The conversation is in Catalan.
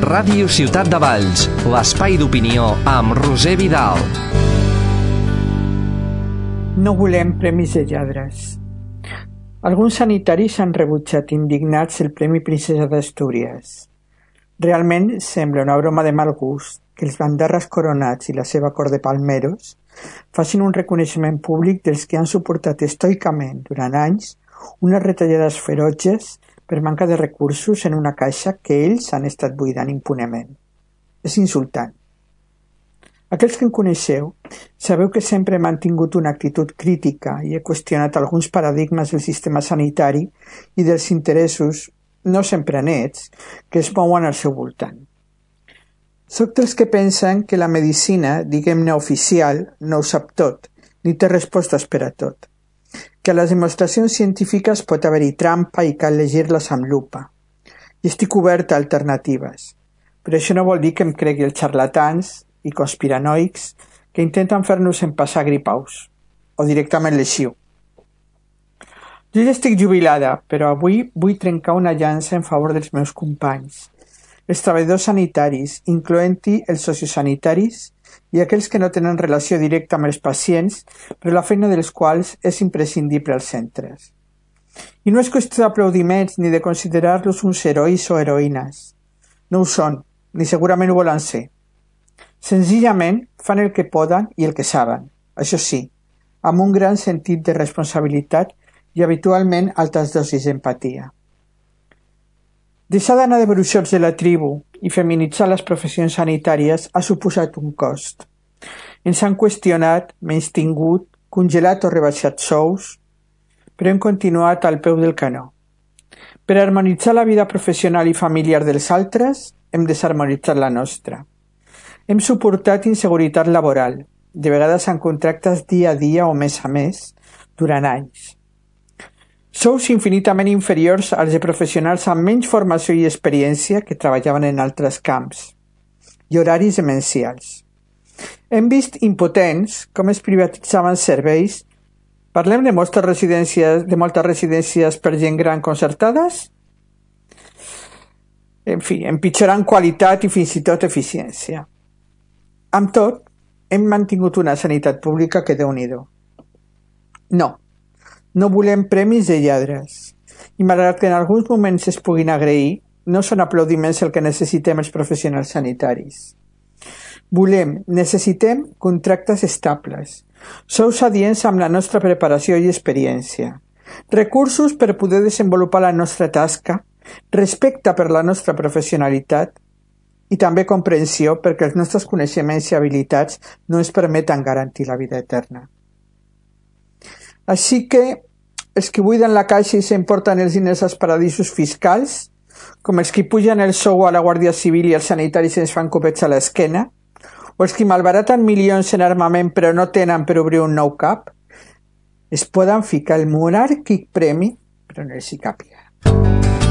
Ràdio Ciutat de Valls, l'espai d'opinió amb Roser Vidal. No volem premis de lladres. Alguns sanitaris han rebutjat indignats el Premi Princesa d'Astúries. Realment sembla una broma de mal gust que els bandarres coronats i la seva cort de palmeros facin un reconeixement públic dels que han suportat estoicament durant anys unes retallades ferotges per manca de recursos en una caixa que ells han estat buidant impunement. És insultant. Aquells que em coneixeu sabeu que sempre he mantingut una actitud crítica i he qüestionat alguns paradigmes del sistema sanitari i dels interessos, no sempre nets, que es mouen al seu voltant. Soc dels que pensen que la medicina, diguem-ne oficial, no ho sap tot, ni té respostes per a tot. Que a les demostracions científiques pot haver-hi trampa i cal llegir-les amb lupa. I estic oberta a alternatives. Però això no vol dir que em cregui els xarlatans i conspiranoics que intenten fer-nos empassar gripaus, o directament lesiu. Jo ja estic jubilada, però avui vull trencar una llança en favor dels meus companys, els treballadors sanitaris, incloent-hi els sociosanitaris i aquells que no tenen relació directa amb els pacients, però la feina dels quals és imprescindible als centres. I no és qüestió d'aplaudiments ni de considerar-los uns herois o heroïnes. No ho són, ni segurament ho volen ser. Senzillament fan el que poden i el que saben, això sí, amb un gran sentit de responsabilitat i habitualment altes dosis d'empatia. Deixar d'anar de bruixots de la tribu i feminitzar les professions sanitàries ha suposat un cost. Ens han qüestionat, menystingut, congelat o rebaixat sous, però hem continuat al peu del canó. Per harmonitzar la vida professional i familiar dels altres, hem desharmonitzat la nostra. Hem suportat inseguretat laboral, de vegades amb contractes dia a dia o mes a mes, durant anys. Sous infinitament inferiors als de professionals amb menys formació i experiència que treballaven en altres camps, i horaris demencials. Hem vist impotents com es privatitzaven serveis. Parlem de moltes residències per gent gran concertades? En fi, empitjorant qualitat i fins i tot eficiència. Amb tot, hem mantingut una sanitat pública que Déu-n'hi-do. No volem premis de lladres. I malgrat que en alguns moments es puguin agrair, no són aplaudiments el que necessitem els professionals sanitaris. Necessitem contractes estables, sous adients amb la nostra preparació i experiència, recursos per poder desenvolupar la nostra tasca, respecte per la nostra professionalitat i també comprensió perquè els nostres coneixements i habilitats no ens permeten garantir la vida eterna. Així que els que buiden la caixa i s'emporten els diners als paradisos fiscals, com els que pugen el sou a la Guàrdia Civil i els sanitaris ens fan copets a l'esquena, o els que malbaraten milions en armament però no tenen per obrir un nou cap, es poden ficar el monàrquic premi, però no els hi càpiga.